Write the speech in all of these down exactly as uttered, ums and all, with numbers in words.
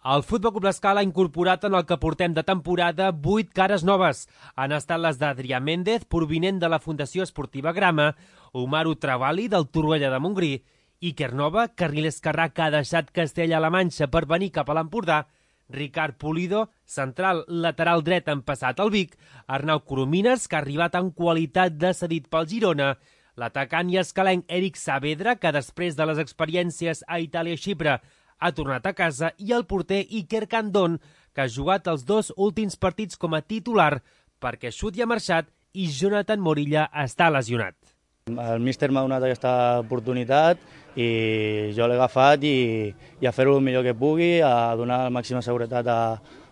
El Futbol Club L'Escala ha incorporat en el que portem de temporada vuit cares noves. Han estat les d'Adrià Méndez, provinent de la Fundació Esportiva Grama, Omaru Travali, del Torroella de Montgrí, Iker Nova, carril esquerrà que ha deixat Castella-La Manxa per venir cap a l'Empordà, Ricard Pulido, central lateral dret empassat al Vic, Arnau Coromines, que ha arribat en qualitat de cedit pel Girona, l'atacant i escalenc Eric Saavedra, que després de les experiències a Itàlia i Xipre ha tornat a casa, i el porter Iker Candón, que ha jugat els dos últims partits com a titular perquè Xuti ha marxat i Jonathan Morilla està lesionat. El míster m'ha donat aquesta oportunitat i jo l'he agafat i, i a fer-ho el millor que pugui, a donar la màxima seguretat a,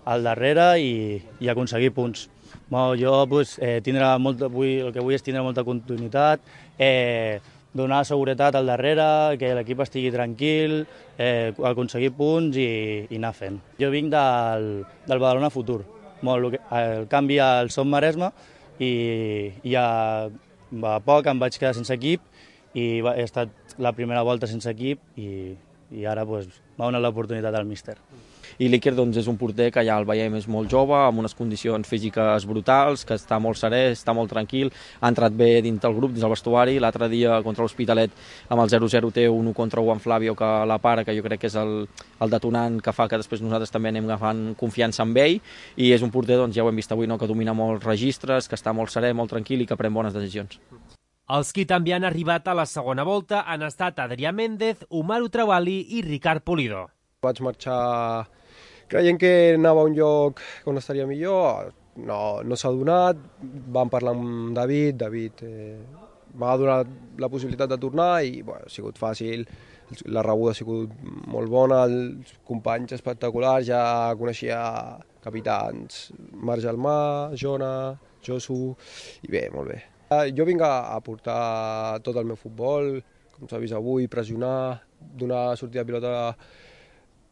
al darrere i, i aconseguir punts. Bueno, jo pues, eh, tindrà molta, vull, el que vull és tindre molta continuïtat, eh, donar seguretat al darrere, que l'equip estigui tranquil, eh, aconseguir punts i, i anar fent. Jo vinc del, del Badalona Futur, molt, el canvi al Som Maresme i, i a, a poc em vaig quedar sense equip i va, he estat la primera volta sense equip i, i ara pues, m'ha donat l'oportunitat al míster. I l'Iker doncs, és un porter que ja el veiem és molt jove, amb unes condicions físiques brutals, que està molt serè, està molt tranquil, ha entrat bé dins del grup, dins del vestuari. L'altre dia contra l'Hospitalet amb el zero zero té un u contra Juan Flavio que la para, que jo crec que és el, el detonant que fa que després nosaltres també anem agafant confiança amb ell, i és un porter, doncs, ja ho hem vist avui, no? Que domina molts registres, que està molt serè, molt tranquil i que pren bones decisions. Els qui també han arribat a la segona volta han estat Adrià Méndez, Omaru Travali i Ricard Pulido. Vaig marxar creient que anava a un lloc on estaria millor, no, no s'ha donat, vam parlar amb David, David eh, m'ha donat la possibilitat de tornar i bueno, ha sigut fàcil, la rebuda ha sigut molt bona, els companys espectaculars, ja coneixia capitans, Marc Gelmà, Jona, Josu, i bé, molt bé. Jo vinc a aportar tot el meu futbol, com s'ha vist avui, pressionar, donar sortida de pilota,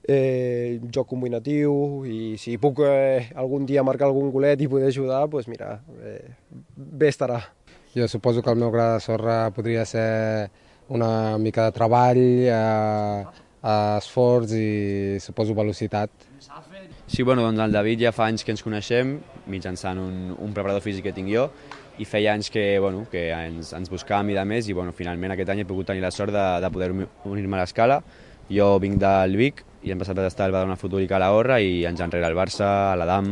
Eh, joc combinatiu, i si puc eh, algun dia marcar algun golet i poder ajudar, doncs mira, eh, bé estarà. Jo suposo que el meu gra de sorra podria ser una mica de treball, eh, esforç i suposo velocitat. Sí, bueno, doncs el David ja fa anys que ens coneixem, mitjançant un, un preparador físic que tinc jo, i feia anys que, bueno, que ens, ens buscàvem i de més, i bueno, finalment aquest any he pogut tenir la sort de, de poder unir-me a l'Escala. Jo vinc del Vic i hem passat a estar al Badalona Futur i Calahorra i anys enrere al Barça, a l'Adam,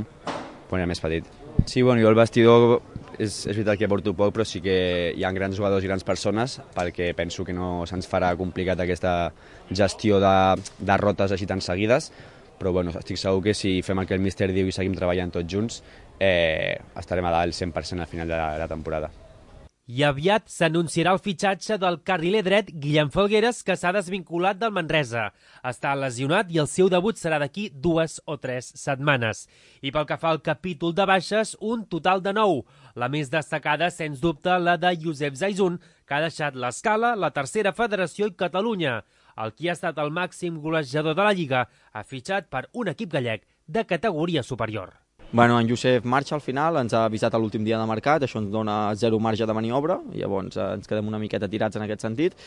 quan era més petit. Sí, bueno, jo el vestidor és, és veritat que porto poc, però sí que hi ha grans jugadors i grans persones, perquè penso que no se'ns farà complicat aquesta gestió de derrotes així tan seguides, però bueno, estic segur que si fem el que el míster diu i seguim treballant tots junts, eh, estarem a dalt cent per cent al final de la, de la temporada. I aviat s'anunciarà el fitxatge del carriler dret Guillem Felgueres, que s'ha desvinculat del Manresa. Està lesionat i el seu debut serà d'aquí dues o tres setmanes. I pel que fa al capítol de baixes, un total de nou. La més destacada, sens dubte, la de Josep Zaizun, que ha deixat l'Escala, la tercera federació i Catalunya. El qui ha estat el màxim golejador de la Lliga ha fitxat per un equip gallec de categoria superior. Bueno, en Josep marxa al final, ens ha avisat a l'últim dia de mercat, això ens dona zero marge de maniobra, i llavors eh, ens quedem una miqueta tirats en aquest sentit.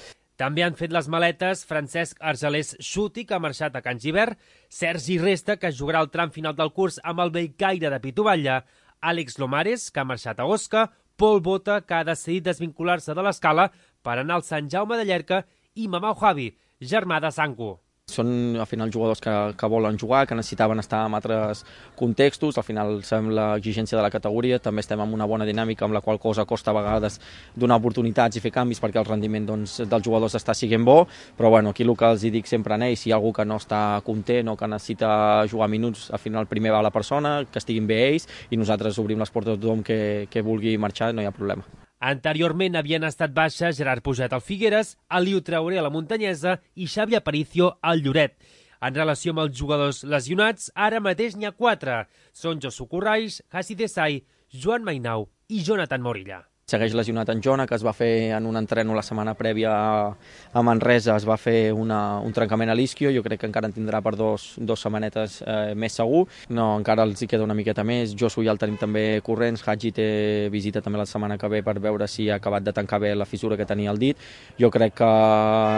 També han fet les maletes Francesc Argelers Xuti, que ha marxat a Can Givert, Sergi Resta, que jugarà el tram final del curs amb el Bellcaire de Pituvalla, Àlex Lomares, que ha marxat a Osca, Pol Bota, que ha decidit desvincular-se de l'Escala per anar al Sant Jaume de Llierca, i Mamau Javi, germà de Sanco. Són al final jugadors que, que volen jugar, que necessitaven estar en altres contextos, al final sabem l'exigència de la categoria, també estem en una bona dinàmica amb la qual cosa costa a vegades donar oportunitats i fer canvis perquè el rendiment doncs, dels jugadors està siguent bo, però bueno, aquí el que els dic sempre a ells, si hi ha algú que no està content o que necessita jugar minuts, al final primer va la persona, que estiguin bé ells, i nosaltres obrim les portes a tothom que, que vulgui marxar, no hi ha problema. Anteriorment havien estat baixes Gerard Puget al Figueres, Aliu Traoré a la Muntanyesa i Xavi Aparicio al Lloret. En relació amb els jugadors lesionats, ara mateix n'hi ha quatre. Són Josu Corraix, Hassi Desai, Joan Mainau i Jonathan Morilla. Segueix lesionat en Jona, que es va fer en un entreno la setmana prèvia a Manresa, es va fer una, un trencament a l'isquio, jo crec que encara en tindrà per dos, dos setmanetes eh, més segur. No, encara els hi queda una miqueta més, Josu ja el tenim també corrents, Hadji té visita també la setmana que ve per veure si ha acabat de tancar bé la fissura que tenia al dit. Jo crec que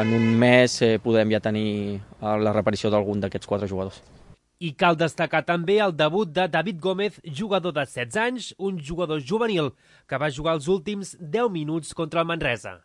en un mes eh, podem ja tenir la reparició d'algun d'aquests quatre jugadors. I cal destacar també el debut de David Gómez, jugador de setze anys, un jugador juvenil que va jugar els últims deu minuts contra el Manresa.